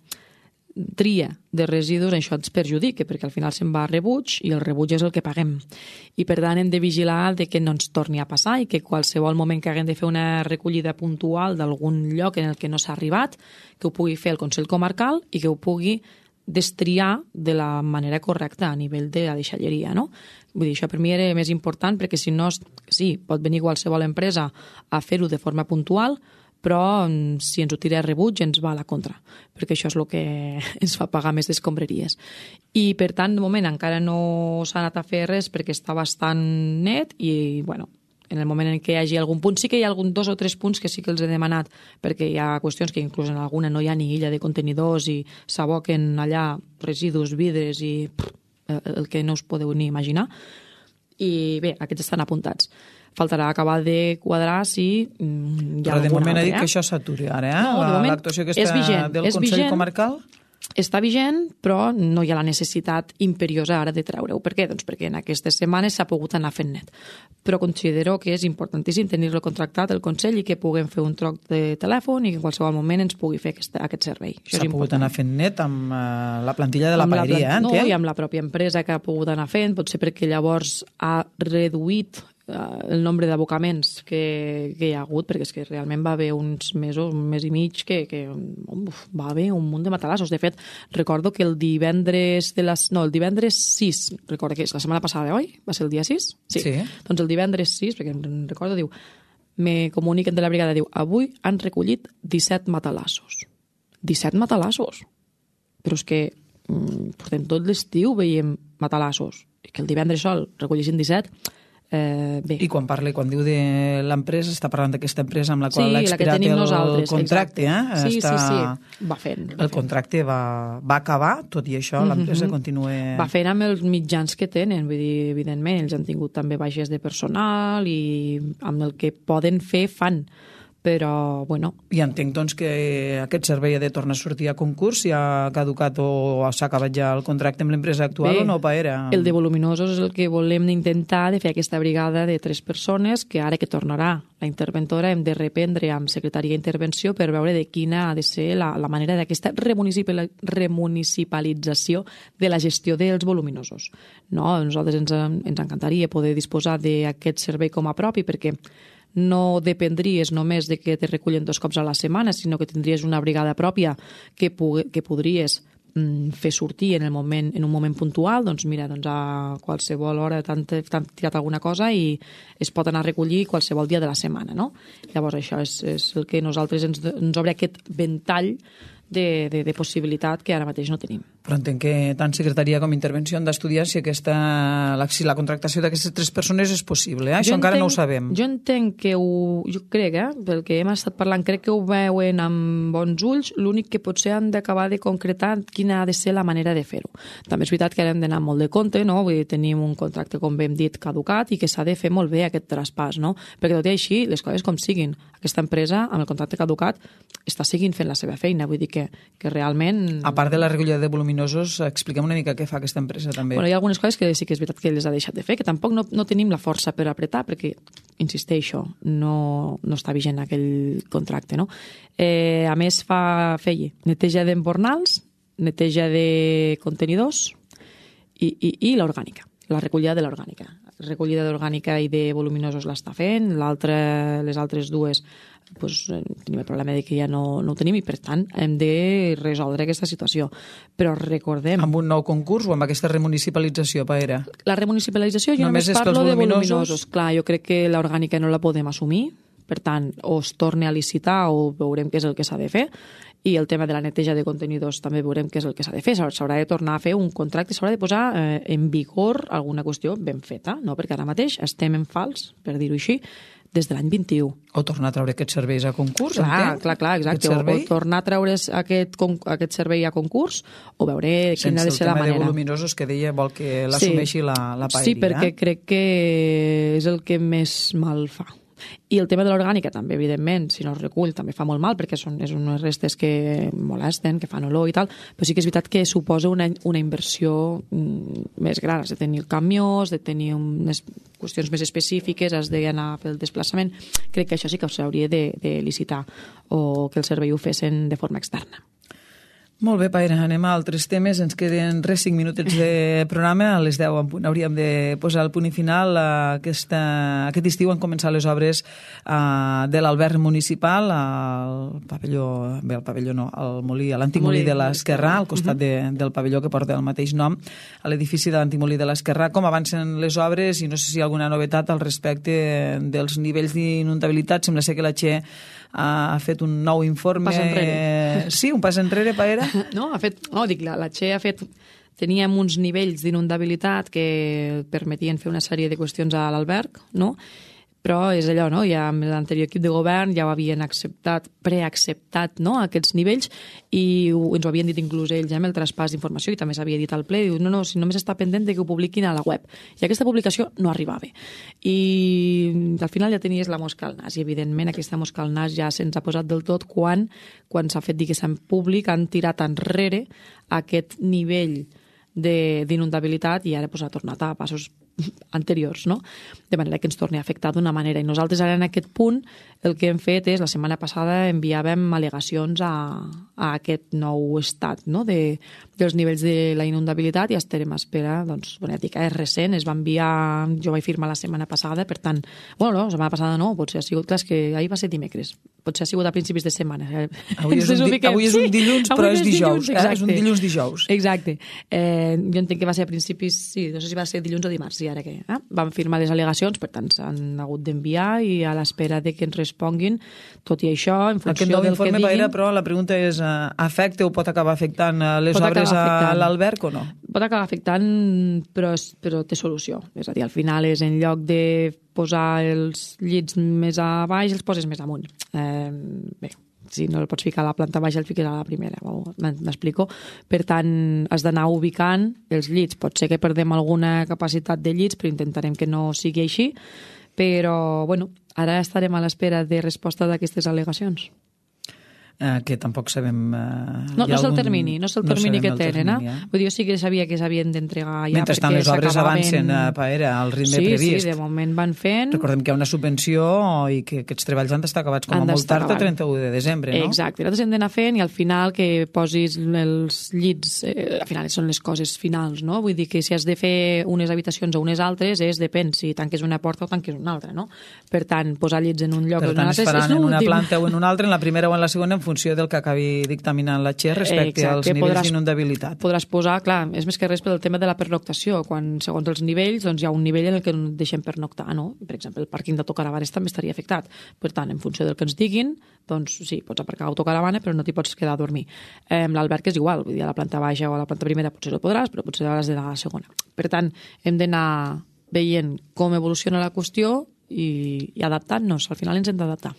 tria de residus, això ens perjudica, perquè al final se'n va a rebuig i el rebuig és el que paguem. I per tant hem de vigilar de que no ens torni a passar i que qualsevol moment que haguem de fer una recollida puntual d'algun lloc en el que no s'ha arribat, que ho pugui fer el Consell Comarcal i que ho pugui destriar de la manera correcta a nivell de la deixalleria, no? Vull dir, això per mi era més important perquè si no, sí, pot venir qualsevol empresa a fer-ho de forma puntual, però si ens ho tira a rebuig ens va a la contra, perquè això és el que ens fa pagar més d'escombraries. I per tant, de moment encara no s'ha anat a fer res perquè està bastant net i, bueno, en el moment en què hi hagi algun punt, sí que hi ha 2 o 3 punts que sí que els he demanat, perquè hi ha qüestions que inclús en alguna no hi ha ni illa de contenidors i s'aboquen allà residus, vidres i el que no us podeu ni imaginar. I bé, aquests estan apuntats. Faltarà acabar de quadrar si hi ha alguna altra. Però de moment ha dit que això s'aturi ara, No, de moment l'actuació aquesta del Consell Comarcal? Està vigent, però no hi ha la necessitat imperiosa ara de treure-ho. Per què? Doncs perquè en aquestes setmanes s'ha pogut anar fent net. Però considero que és importantíssim tenir-lo contractat el Consell i que puguem fer un troc de telèfon i que en qualsevol moment ens pugui fer aquest servei. S'ha pogut anar fent net amb la plantilla de la paeria, No, i amb la pròpia empresa que ha pogut anar fent, potser perquè llavors ha reduït el nombre d'abocaments que hi ha hagut, perquè és que realment va haver uns mesos, un mes i mig, que va haver un munt de matalassos. De fet, recordo que el divendres 6, recordo que és la setmana passada, oi? Va ser el dia 6? Sí. Doncs el divendres 6, perquè em recordo, diu, me comuniquen de la brigada, diu, avui han recollit 17 matalassos. 17 matalassos! Però és que portem tot l'estiu veiem matalassos. I que el divendres sol recollissin 17... bé. I quan diu de l'empresa, està parlant d'aquesta empresa amb la qual ha expirat el contracte. Sí. Va fent. El contracte va acabar, tot i això l'empresa continua... Va fent amb els mitjans que tenen, vull dir, evidentment, ells han tingut també baixes de personal i amb el que poden fer fan. Però, bueno... I entenc, doncs, que aquest servei ha de tornar a sortir a concurs si ha caducat o s'ha acabat ja el contracte amb l'empresa actual. Bé, o no, Paera? El de voluminosos és el que volem intentar de fer aquesta brigada de 3 persones que ara que tornarà la interventora hem de reprendre amb secretaria d'intervenció per veure de quina ha de ser la manera d'aquesta remunicipalització de la gestió dels voluminosos. No? A nosaltres ens encantaria poder disposar d'aquest servei com a propi perquè no dependries només de que te recullen 2 cops a la setmana, sinó que tindries una brigada pròpia que podries fer sortir en un moment puntual, doncs mira, a qualsevol hora t'han tirat alguna cosa i es pot anar a recollir qualsevol dia de la setmana, no? Llavors això és el que nosaltres ens obre aquest ventall de possibilitat que ara mateix no tenim. Però entenc que tant secretaria com intervenció han d'estudiar si la contractació d'aquestes 3 persones és possible. Això encara no ho sabem. Jo entenc que jo crec, pel que hem estat parlant, crec que ho veuen amb bons ulls, l'únic que potser han d'acabar de concretar quina ha de ser la manera de fer-ho. També és veritat que ara hem d'anar molt de compte, no? Vull dir, tenim un contracte, com hem dit, caducat i que s'ha de fer molt bé aquest traspàs, no? Perquè tot i així, les coses com siguin, aquesta empresa, amb el contracte caducat, està seguint fent la seva feina, vull dir que realment... A part de la recollida de voluminosos, expliquem una mica què fa aquesta empresa també. Hi ha algunes coses que sí que és veritat que les ha deixat de fer, que tampoc no tenim la força per apretar, perquè, insisteixo, no està vigent aquell contracte, no? A més, feia neteja d'embornals, neteja de contenidors i l'orgànica, la recollida de l'orgànica. Recollida d'orgànica i de voluminosos l'està fent, les altres 2 tenim el problema de que ja no ho tenim i per tant hem de resoldre aquesta situació. Però recordem... Amb un nou concurs o amb aquesta remunicipalització, Paera? La remunicipalització jo només parlo de voluminosos. Clar, jo crec que l'orgànica no la podem assumir, per tant, o es torna a licitar o veurem què és el que s'ha de fer i el tema de la neteja de contenidors també veurem què és el que s'ha de fer. S'haurà de tornar a fer un contracte, s'haurà de posar en vigor alguna qüestió ben feta, no? Perquè ara mateix estem en fals, per dir-ho així, des de l'any 21. O tornar a treure aquests serveis a concurs, Clar, exacte. O tornar a treure aquest servei a concurs o veure quina ha de ser la manera. Sense el tema de voluminosos que deia vol que l'assumeixi la paeria. Sí, perquè crec que és el que més mal fa. I el tema de l'orgànica també, evidentment, si no es recull, també fa molt mal, perquè és unes restes que molesten, que fan olor i tal, però sí que és veritat que suposa una inversió més gran. Has de tenir el camió, has de tenir unes qüestions més específiques, has d'anar a fer el desplaçament. Crec que això sí que s'hauria de licitar o que el servei ho fessin de forma externa. Molt bé, Paire, anem a altres temes. Ens queden 5 minutets de programa. A les 10 en punt hauríem de posar el punt i final. Aquest estiu han començat les obres de l'alberg municipal, al molí, a l'antic molí de l'Esquerrà, al costat del pavelló que porta el mateix nom, a l'edifici de l'antic molí de l'Esquerrà. Com avancen les obres i no sé si hi ha alguna novetat al respecte dels nivells d'inundabilitat. Sembla ser que la Che ha fet un nou informe. Pas enrere. Sí, un pas enrere, Paire? La Che ha fet... Teníem uns nivells d'inundabilitat que permetien fer una sèrie de qüestions a l'alberg, no? Però és allò, no? Ja amb l'anterior equip de govern ja ho havien preacceptat, no? Aquests nivells, i ens ho havien dit inclús ells amb el traspàs d'informació, i també s'havia dit al ple, diu, no, si només està pendent de que ho publiquin a la web. I aquesta publicació no arribava. I al final ja tenies la mosca al nas, i evidentment aquesta mosca al nas ja se'ns ha posat del tot quan s'ha fet, diguéssim, públic, han tirat enrere aquest nivell d'inundabilitat i ara ha tornat a passos anteriors, no? De manera que ens torni a afectar d'una manera. I nosaltres ara en aquest punt el que hem fet és, la setmana passada enviàvem al·legacions a aquest nou estat, no? dels nivells de la inundabilitat, i estarem a espera, doncs, és recent, es va enviar, jo vaig firmar la setmana passada, per tant, la setmana passada no, potser ha sigut, clar, que ahir va ser dimecres, potser ha sigut a principis de setmana. Avui és un dilluns, però és dijous, és un dilluns dijous. Exacte. Jo entenc que va ser a principis, sí, no sé si va ser dilluns o dimarts, i ara què? Vam firmar les al·legacions, per tant, s'han hagut d'enviar, i a l'espera de que ens responguin, tot i això, en funció del que diguin... Paire, però la pregunta és, afecta o pot acabar afectant les obres a l'alberg o no? Pot acabar afectant, però té solució. És a dir, al final és en lloc de posar els llits més a baix, els poses més amunt. Bé, si no el pots ficar a la planta baixa, el fiques a la primera, m'explico. Per tant, has d'anar ubicant els llits. Pot ser que perdem alguna capacitat de llits, però intentarem que no sigui així. Però, ara estarem a l'espera de resposta d'aquestes al·legacions. Que tampoc sabem... No és el termini, que tenen. Vull dir, jo sí que sabia que s'havien d'entregar ja. Mentrestant les obres avancen al ritme previst. Sí, de moment van fent. Recordem que hi ha una subvenció i que aquests treballs han d'estar acabats com a molt tard, el 31 de desembre, no? Exacte, nosaltres hem d'anar fent, i al final que posis els llits, al final són les coses finals, no? Vull dir que si has de fer unes habitacions o unes altres, depèn si tanques una porta o tanques una altra, no? Per tant, posar llits en un lloc o en un altre... Per tant, es faran en una planta o en una altra, en la primera o en la segona, en funció del que acabi dictaminant la Che respecte als nivells d'inundabilitat. Podràs posar, clar, és més que res pel tema de la pernoctació, quan segons els nivells doncs hi ha un nivell en el que no deixem pernoctar, no? Per exemple, el pàrquing d'autocaravanes també estaria afectat. Per tant, en funció del que ens diguin, doncs sí, pots aparcar autocaravana, però no t'hi pots quedar a dormir. L'alberg és igual, vull dir, a la planta baixa o a la planta primera potser ho podràs, però potser has d'anar a la segona. Per tant, hem d'anar veient com evoluciona la qüestió i adaptant-nos. Al final ens hem d'adaptar.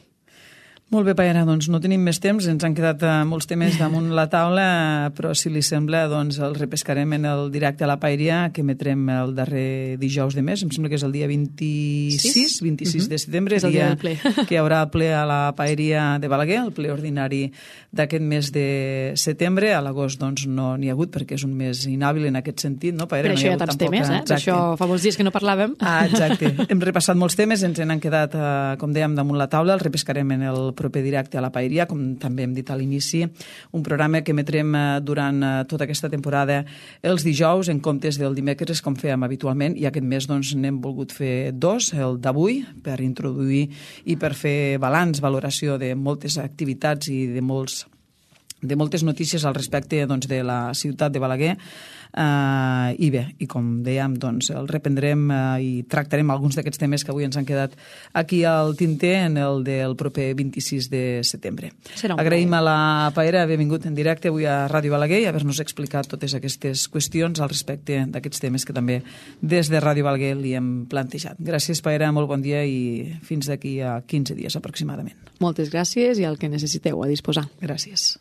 Molt bé, Paire, doncs no tenim més temps, ens han quedat molts temes damunt la taula, però si li sembla, doncs els repescarem en el directe a la Paeria, que emetrem el darrer dijous de mes, em sembla que és el dia 26 de setembre, és el dia del ple. Que hi haurà ple a la Paeria de Balaguer, el ple ordinari d'aquest mes de setembre. A l'agost doncs no n'hi ha hagut, perquè és un mes inhàbil en aquest sentit, no, Paire? Per això hi ha tants temes, Per això fa molts dies que no parlàvem. Exacte. Hem repassat molts temes, ens n'han quedat, com dèiem, damunt la taula, els repescarem en el proper directe a la Paeria, com també hem dit a l'inici, un programa que emetrem durant tota aquesta temporada els dijous en comptes del dimecres, com fèiem habitualment, i aquest mes doncs n'hem volgut fer dos, el d'avui, per introduir i per fer balanç, valoració de moltes activitats i de molts de moltes notícies al respecte doncs, de la ciutat de Balaguer. I bé, i com dèiem, doncs, el reprendrem i tractarem alguns d'aquests temes que avui ens han quedat aquí al tinter en el del proper 26 de setembre. Agraïm a la Paera haver vingut en directe avui a Ràdio Balaguer i haver-nos explicat totes aquestes qüestions al respecte d'aquests temes que també des de Ràdio Balaguer li hem plantejat. Gràcies, Paera, molt bon dia i fins d'aquí a 15 dies aproximadament. Moltes gràcies i el que necessiteu a disposar. Gràcies.